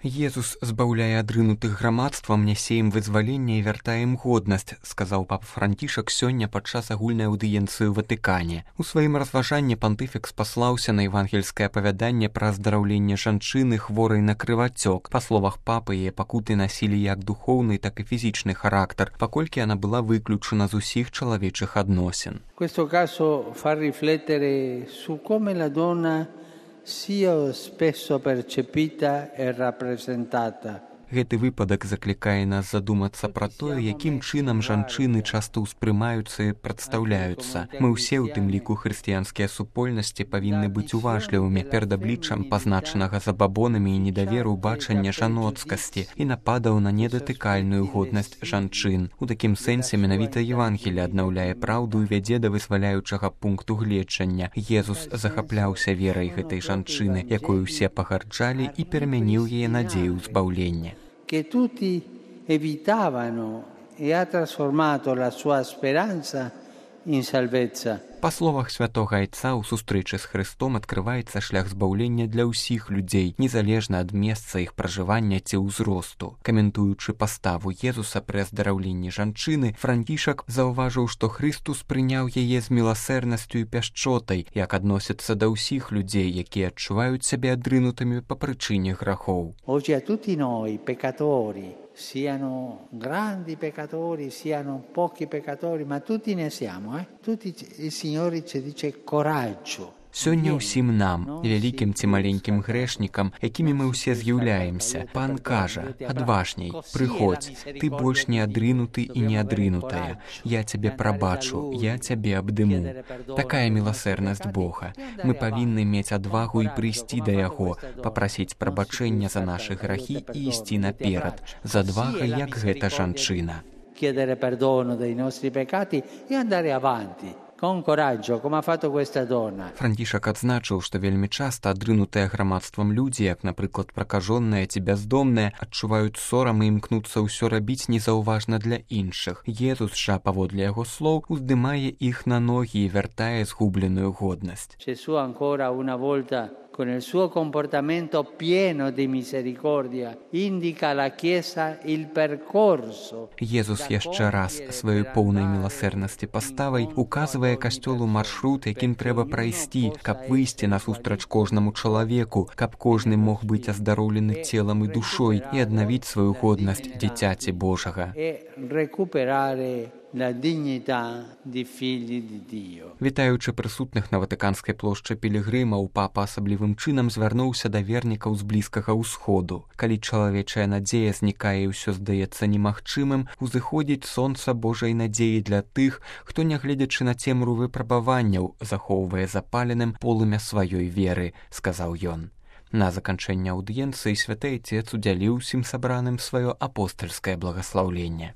Езус збаўляе адрынутых грамадствам, нясе ім вызваленне і вяртае ім годнасць, сказаў папа Францішак сёння падчас агульнай аўдыенцыі ў Ватыкане. У сваім разважанні пантыфік спаслаўся на евангельскае апавяданне пра аздараўленне жанчыны, хворай на крывацёк. Па словах папы, яе пакуты насілі як духоўны, так і фізічны характар, паколькі яна была выключана з усіх чалавечых адносін. Questo caso fa riflettere su come la donna sia spesso percepita e rappresentata. Гэты выпадак заклікае нас задумацца пра тое, якім чынам жанчыны часта ўспрымаюцца і прадстаўляюцца. Мы ўсе, у тым ліку хрысціянскія супольнасці, павінны быць уважлівымі перад абліччам пазначанага забабонамі і недаверу бачання жаноцкасці і нападаў на недатыкальную годнасць жанчын. У такім сэнсе менавіта Евангелие аднаўляе праўду і вядзе да вызваляючага пункту гледжання. Езус захапляўся верай гэтай жанчыны, якую ўсе пагарджалі, і перамяніў яе надзею збаўлення. Che tutti evitavano e ha trasformato la sua speranza in salvezza. Па словах святога Айца, у сустрэчы з Хрыстом адкрываецца шлях збаўлення для ўсіх людзей, незалежна ад месца іх пражывання ці ўзросту. Каментуючы паставу Езуса пры аздараўленні жанчыны, Францішак заўважыў, што Хрыстус прыняў яе з міласэрнасцю і пяшчотай, як адносіцца да ўсіх людзей, якія адчуваюць сябе адрынутымі па прычыне грахоў. Oggi a tutti noi peccatori, siano grandi peccatori, siano pochi peccatori, ma tutti ne siamo, Tutti il Signore ci dice coraggio. Сёння ўсім нам, вялікім ці маленькім грэшнікам, якімі мы ўсе з'яўляемся, Пан кажа: адважней, прыходзь, ты больш не адрынуты і не адрынутая. Я цябе прабачу, я цябе абдыму. Такая міласэрнасць Бога. Мы павінны мець адвагу і прыйсці да Яго, папрасіць прабачэння за нашы грахі і ісці наперад, з адвагай, як гэта жанчына. Chiedere perdono dei nostri peccati e andare avanti. Con coraggio, come ha fatto questa donna. Францішак адзначыў, што вельмі часта адрынутыя грамадствам людзі, як, напрыклад, пракажоныя ці бяздомныя, адчуваюць сорам і імкнуцца ўсё рабіць незаўважна для іншых. Езус жа, паводле яго слоў, уздымае іх на ногі і вяртае згубленую годнасць. Gesù ancora una volta con il suo comportamento pieno di misericordia indica alla Chiesa il percorso. Езус яшчэ раз сваёй поўнай міласэрнасці паставай указвае касцёлу маршрут, якім трэба прайсці, каб выйсці насустрач кожнаму чалавеку, каб кожны мог быць аздароўлены целам і душой і аднавіць сваю годнасць дзіцяці Божага. La dignità di figli di Dio. Вітаючы прысутных на Ватыканскай плошчы пілігрымаў, папа асаблівым чынам звярнуўся да вернікаў з Блізкага ўсходу. Калі чалавечая надзея знікае і ўсё здаецца немагчымым, узыходзіць сонца Божай надзеі для тых, хто, нягледзячы на цемру выпрабаванняў, захоўвае запаленым полымя сваёй веры, сказаў ён. На заканчэнне аўдыенцыі святы Айцец удзяліў усім сабраным сваё апостальскае благаслаўленне.